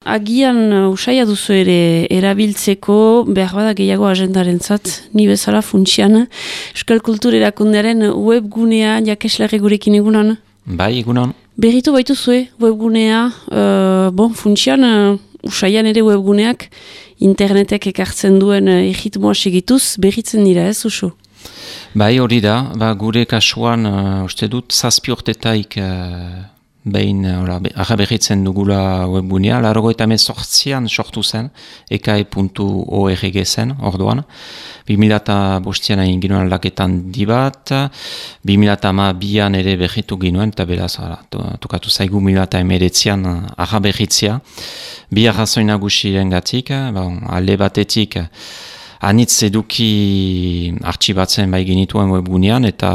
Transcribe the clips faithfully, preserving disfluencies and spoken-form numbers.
Agian uh, usaia duzu ere erabiltzeko behar bada gehiago agendarentzat, ni bezala funtsian. Euskal Kultur Erakundearen webgunea jakeslarri gurekin egunan. Bai, egunan. Berritu baituzue webgunea, uh, bon, funtsian uh, usaian ere webguneak internetek ekartzen duen uh, egitmoa segituz berritzen dira, ez usu? Bai, hori da, ba, gure kasuan uh, uste dut zazpi urtetaik uh, behin arraberritzen dugula webgunea, laurogeita hemezortzian sortu zen, ekae puntu org zen, orduan. bi mila bostean egin ginuen aldaketan dibat, bi mila hamabian ere berritu ginuen, eta beraz, tokatu zaigu bi mila hemeretzian arraberritzea. Bi arrazoi nagusiren gatik, bon, alde batetik, anitz eduki artxibatzen bai genituen webgunean, eta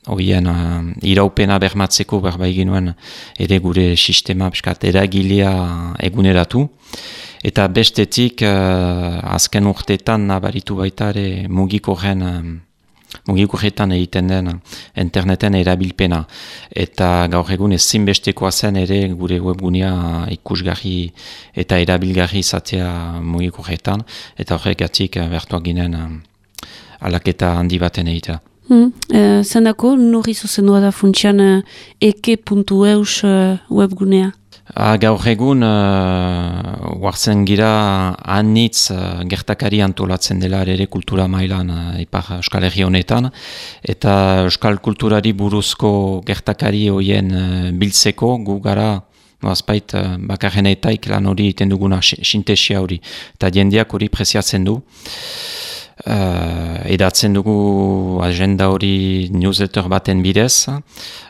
horien uh, iraupena bermatzeko berbai genuen ere gure sistema piskat eragilea eguneratu. Eta bestetik, uh, azken urteetan nabaritu baita ere mugikorren uh, mugikorretan egiten den interneten erabilpena. Eta gaur egun ezinbestekoa zen ere gure webgunea ikusgarri eta erabilgarri izatea mugikorretan. Eta horregatik uh, bertuak ginen uh, alaketa handi baten egitea. Hmm. Uh, zendako, nori zuzendua da funtsian uh, eke puntu eus uh, webgunea? Ah, gaur egun, uh, wartzen gira anitz uh, gertakari antolatzen dela ere kultura mailan uh, ipar Euskal Herri honetan, eta Euskal kulturari buruzko gertakari hoien uh, biltzeko gu gara azpait uh, bakarrenetaik lan hori egiten duguna sintesia hori, eta jendeak hori preziatzen du. Uh, edatzen dugu agenda hori newsletter baten bidez,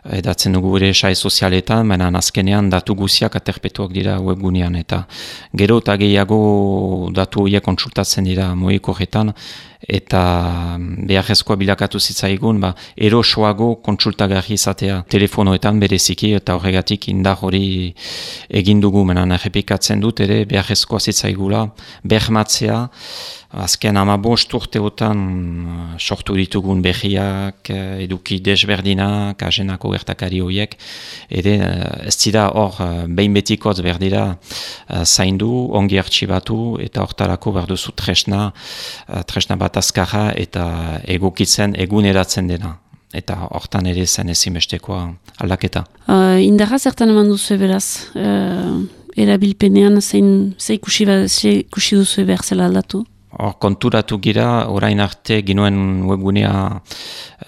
edatzen dugu ere sai sozialetan, baina azkenean datu guziak aterpetuak dira webgunean, eta gero eta gehiago datu horiek kontsultatzen dira mugikorretan, eta beharrezkoa bilakatu zitzaigun, ba, erosoago kontsultagarri izatea telefonoetan bereziki, eta horregatik indar hori egin dugu, baina errepikatzen dut ere beharrezkoa zitzaigula bermatzea. Azken hamabost urteotan sortu ditugun berriak, eduki desberdinak, agenako gertakari horiek, ere ez dira hor behin betikoz berdira zaindu, ongi artxibatu, eta hortarako berduzu tresna, tresna bat azkarra eta egokitzen eguneratzen dena. Eta hortan ere zen ezinbestekoa aldaketa. Uh, indarra zertan eman duzu beraz, uh, erabilpenean zein ze ikusi, ze ikusi duzu behar zela aldatu? Hor konturatu gira, orain arte ginuen webgunea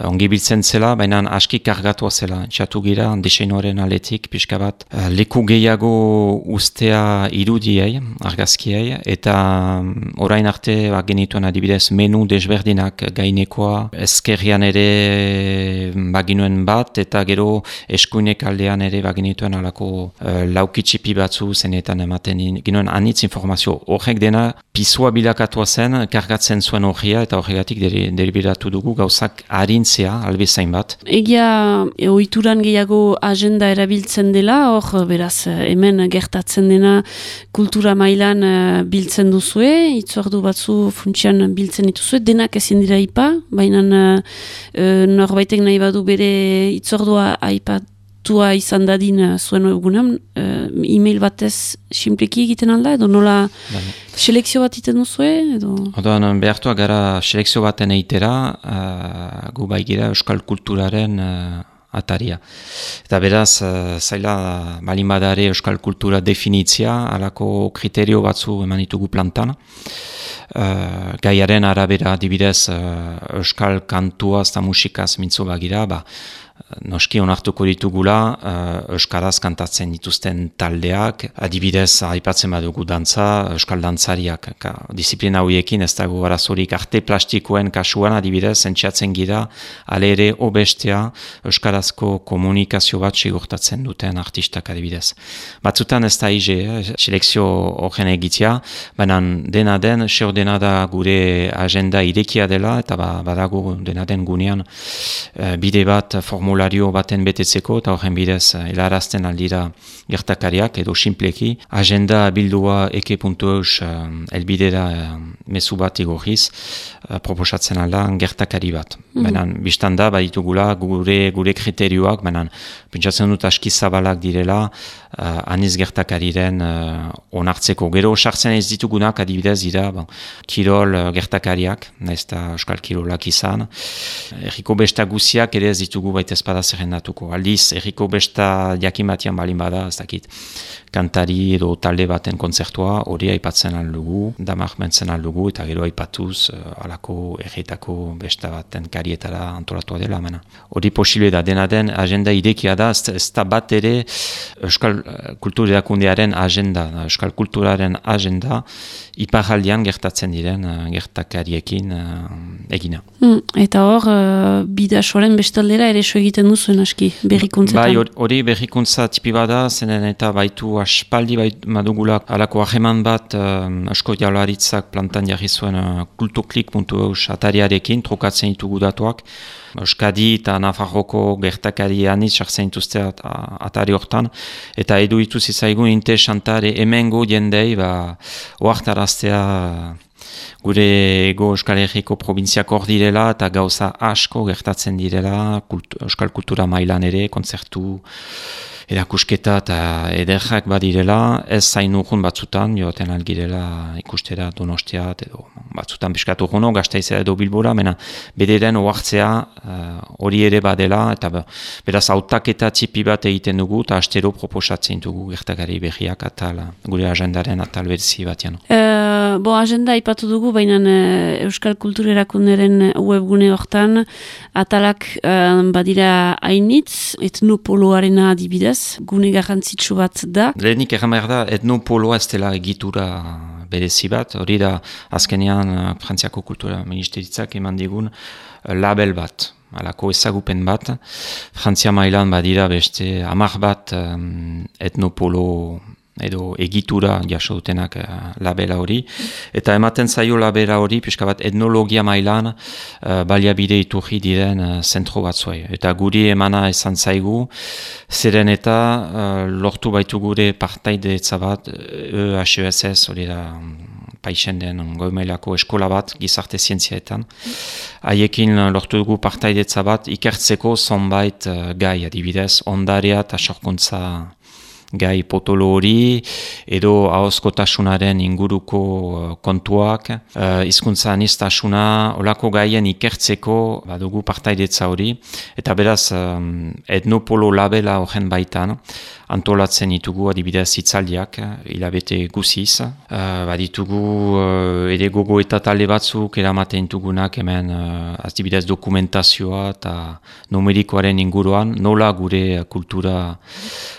ongi biltzen zela, baina aski kargatua zela. Txatu gira, diseinoaren aletik, pixka bat, leku gehiago ustea irudiei, argazkiei, eta orain arte ba, genituen adibidez menu desberdinak gainekoa, ezkerrian ere baginuen bat, eta gero eskuinek aldean ere baginituen alako uh, laukitxipi batzu zenetan ematen ginuen anitz informazio. Horrek dena pisua bilakatua zen, kargatzen zuen horria, eta horregatik deliberatu dugu gauzak harintzea, albezain bat. Egia ohituran gehiago agenda erabiltzen dela, hor beraz hemen gertatzen dena kultura mailan uh, biltzen duzue, itzordu batzu funtsian biltzen dituzue, denak ezin dira ipa, baina uh, norbaitek nahi badu bere itzordua aipat tua izan dadin uh, zuen webgunean, uh, e-mail batez simpleki egiten alda, edo nola selekzio bat egiten duzue? Edo... Odoan, behartua gara selekzio baten eitera, uh, gu baigira Euskal Kulturaren uh, ataria. Eta beraz, uh, zaila balin badare Euskal Kultura definitzia, alako kriterio batzu eman ditugu plantan. Uh, gaiaren arabera adibidez uh, Euskal kantua eta musikaz mintzo bagira, ba, noski onartuko ditugula uh, euskaraz kantatzen dituzten taldeak, adibidez aipatzen badugu dantza, euskal dantzariak, ka, disiplina horiekin ez dago arazorik arte plastikoen kasuan adibidez entxatzen gira, ale ere obestea euskarazko komunikazio bat sigurtatzen duten artistak adibidez. Batzutan ez da ize, eh, selekzio horren egitea, baina dena den, seo dena da gure agenda irekia dela, eta ba, badago dena den gunean uh, bide bat formula formulario baten betetzeko, eta horren bidez helarazten aldira gertakariak, edo simpleki, agenda bildua eke puntu eus elbidera mezu bat igorriz, proposatzen alda gertakari bat. Mm-hmm. Benan, biztan da, baditugula gure, gure kriterioak, benan, pentsatzen dut aski zabalak direla, uh, aniz gertakariren uh, onartzeko. Gero, sartzen ez ditugunak, adibidez, dira, bon, kirol uh, gertakariak, nahiz eta euskal kirolak izan. Erriko besta guziak ere ez ditugu baita espada zerrendatuko. Aldiz, erriko besta jakin batian balin bada, ez dakit, kantari edo talde baten kontzertua, hori aipatzen aldugu, damak mentzen aldugu, eta gero aipatuz, uh, alako erretako besta baten karietara antolatua dela, mena. Hori posible da, dena den agenda idekia da, ez da bat ere euskal kultur erakundearen agenda, euskal kulturaren agenda, iparaldian gertatzen diren gertakariekin uh, egina. Mm, eta hor, uh, bidasoaren bestaldera ere so egiten duzuen aski, berrikuntzetan? Bai, hori berrikuntza tipi bada, zenen eta baitu aspaldi baitu madugulak alako aheman bat um, asko jaularitzak plantan jarri zuen uh, kulturklik puntu eus atariarekin, trokatzen ditugu datuak, Euskadi eta Nafarroko gertakari anitz sartzen dituzte at, atari hortan, eta edu ituz izaigun interesantare hemengo jendei, ba, oartaraztea gure ego Euskal Herriko probintziak hor direla, eta gauza asko gertatzen direla, kult, Euskal Kultura mailan ere, kontzertu, erakusketa eta ederrak badirela, ez zain urrun batzutan, joaten algirela ikustera Donostiat, edo batzutan piskat urruno, Gasteizera edo Bilbora, mena bederen oartzea hori uh, ere badela, eta beraz hautaketa txipi bat egiten dugu, eta astero proposatzen dugu gertakari berriak atal, gure agendaren atal berzi batean. Uh, bo, agenda ipatu dugu, baina uh, Euskal Kultur Erakunderen webgune hortan, atalak uh, badira hainitz, etnopoloarena adibidez, gune garrantzitsu bat da. Lehenik erran behar da, etnopoloa ez dela egitura berezi bat, hori da azkenean Frantziako Kultura Ministeritzak eman digun label bat, alako ezagupen bat. Frantzia mailan badira beste hamar bat um, etnopolo edo egitura jaso dutenak uh, labela hori, eta ematen zaio labela hori, pixka bat etnologia mailan uh, baliabide iturri diren uh, zentro batzuei. Eta guri emana izan zaigu, zeren eta uh, lortu baitu gure partaidetza bat, E H E S S, hori da paixen den goi-mailako eskola bat, gizarte zientziaetan. Haiekin lortu dugu partaidetza bat, ikertzeko zonbait uh, gai adibidez, ondarea eta sorkuntza gai potolo hori, edo ahozkotasunaren inguruko uh, kontuak, uh, hizkuntza aniztasuna, olako gaien ikertzeko badugu partaidetza hori, eta beraz um, etnopolo labela horren baitan, antolatzen ditugu adibidez hitzaldiak, hilabete guziz. Uh, baditugu uh, ere gogo eta talde batzuk eramaten ditugunak hemen uh, adibidez dokumentazioa eta numerikoaren inguruan, nola gure kultura,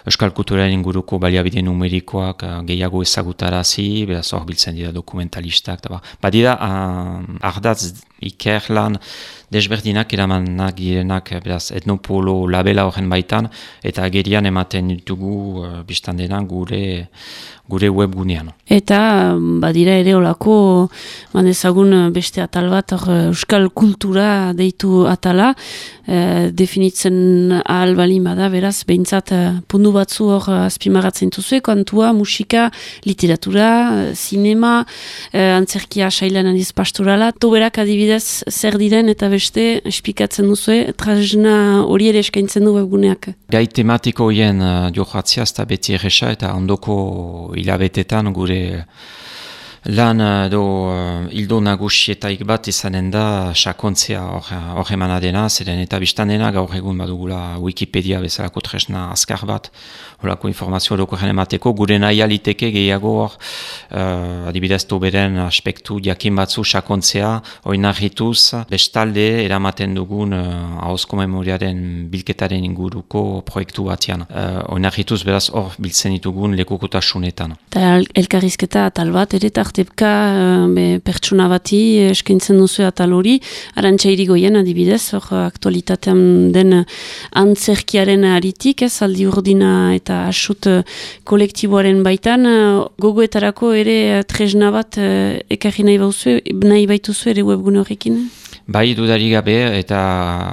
euskal kulturaren inguruko baliabide numerikoak uh, gehiago ezagutarazi, beraz hor biltzen dira dokumentalistak. Ba. Badira uh, ardatz ikerlan desberdinak eramanak direnak beraz etnopolo labela horren baitan, eta agerian ematen ditugu uh, biztan dena gure gure webgunean. Eta badira ere olako manezagun beste atal bat, or, euskal kultura deitu atala, e, definitzen ahal balin bada, beraz, behintzat pundu batzu hor azpimagatzen duzue, kantua, musika, literatura, zinema, e, antzerkia sailan adiz pastorala, toberak adibidez zer diren eta beste espikatzen duzue, trazna hori ere eskaintzen du webguneak. Gai tematiko hien uh, johatzia, ez da beti erresa, eta ondoko hilabetetan gure lan edo uh, hildo nagusietaik bat izanen da sakontzea hor emana dena, zeren eta biztan dena gaur egun badugula Wikipedia bezalako tresna azkar bat, horako informazio orokorren emateko, gure nahi aliteke gehiago hor, uh, adibidez toberen aspektu jakin batzu sakontzea, oinarrituz, bestalde eramaten dugun uh, ahozko memoriaren bilketaren inguruko proiektu batean. Uh, oinarrituz beraz hor biltzen ditugun lekukotasunetan. Eta elkarrizketa atal bat, ere tartepka be, pertsona bati eskaintzen duzu atal hori, Arantxa Irigoyen adibidez, hor aktualitatean den antzerkiaren aritik, ez, aldi urdina eta asut kolektiboaren baitan, gogoetarako ere tresna bat ekarri nahi, bauzu, nahi baituzu ere webgune horrekin? Bai, dudari gabe, eta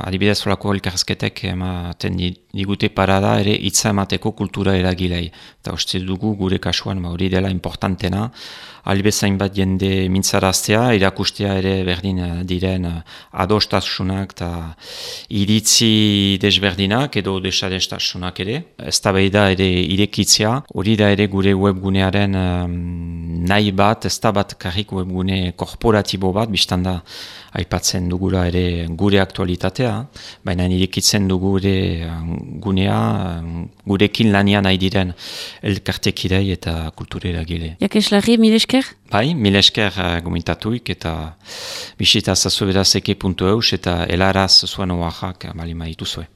adibidez olako elkarrezketek ematen digute parada ere hitza emateko kultura eragilei. Eta uste dugu gure kasuan hori dela importantena, albezain bat jende mintzaraztea, irakustea ere berdin diren adostasunak eta iritzi desberdinak edo desadostasunak ere. Eztabaida ere irekitzea, hori da ere gure webgunearen um, nahi bat, ez da bat karrik webgune korporatibo bat, biztanda aipatzen dugula ere gure aktualitatea, baina irekitzen dugu ere gunea, gurekin lanian nahi diren elkartekidei eta kulturera gile. Jakeslari, mil esker? Bai, mil esker gomitatuik eta bisita zazuberazeke puntu eus eta helaraz zuen oaxak balima dituzue.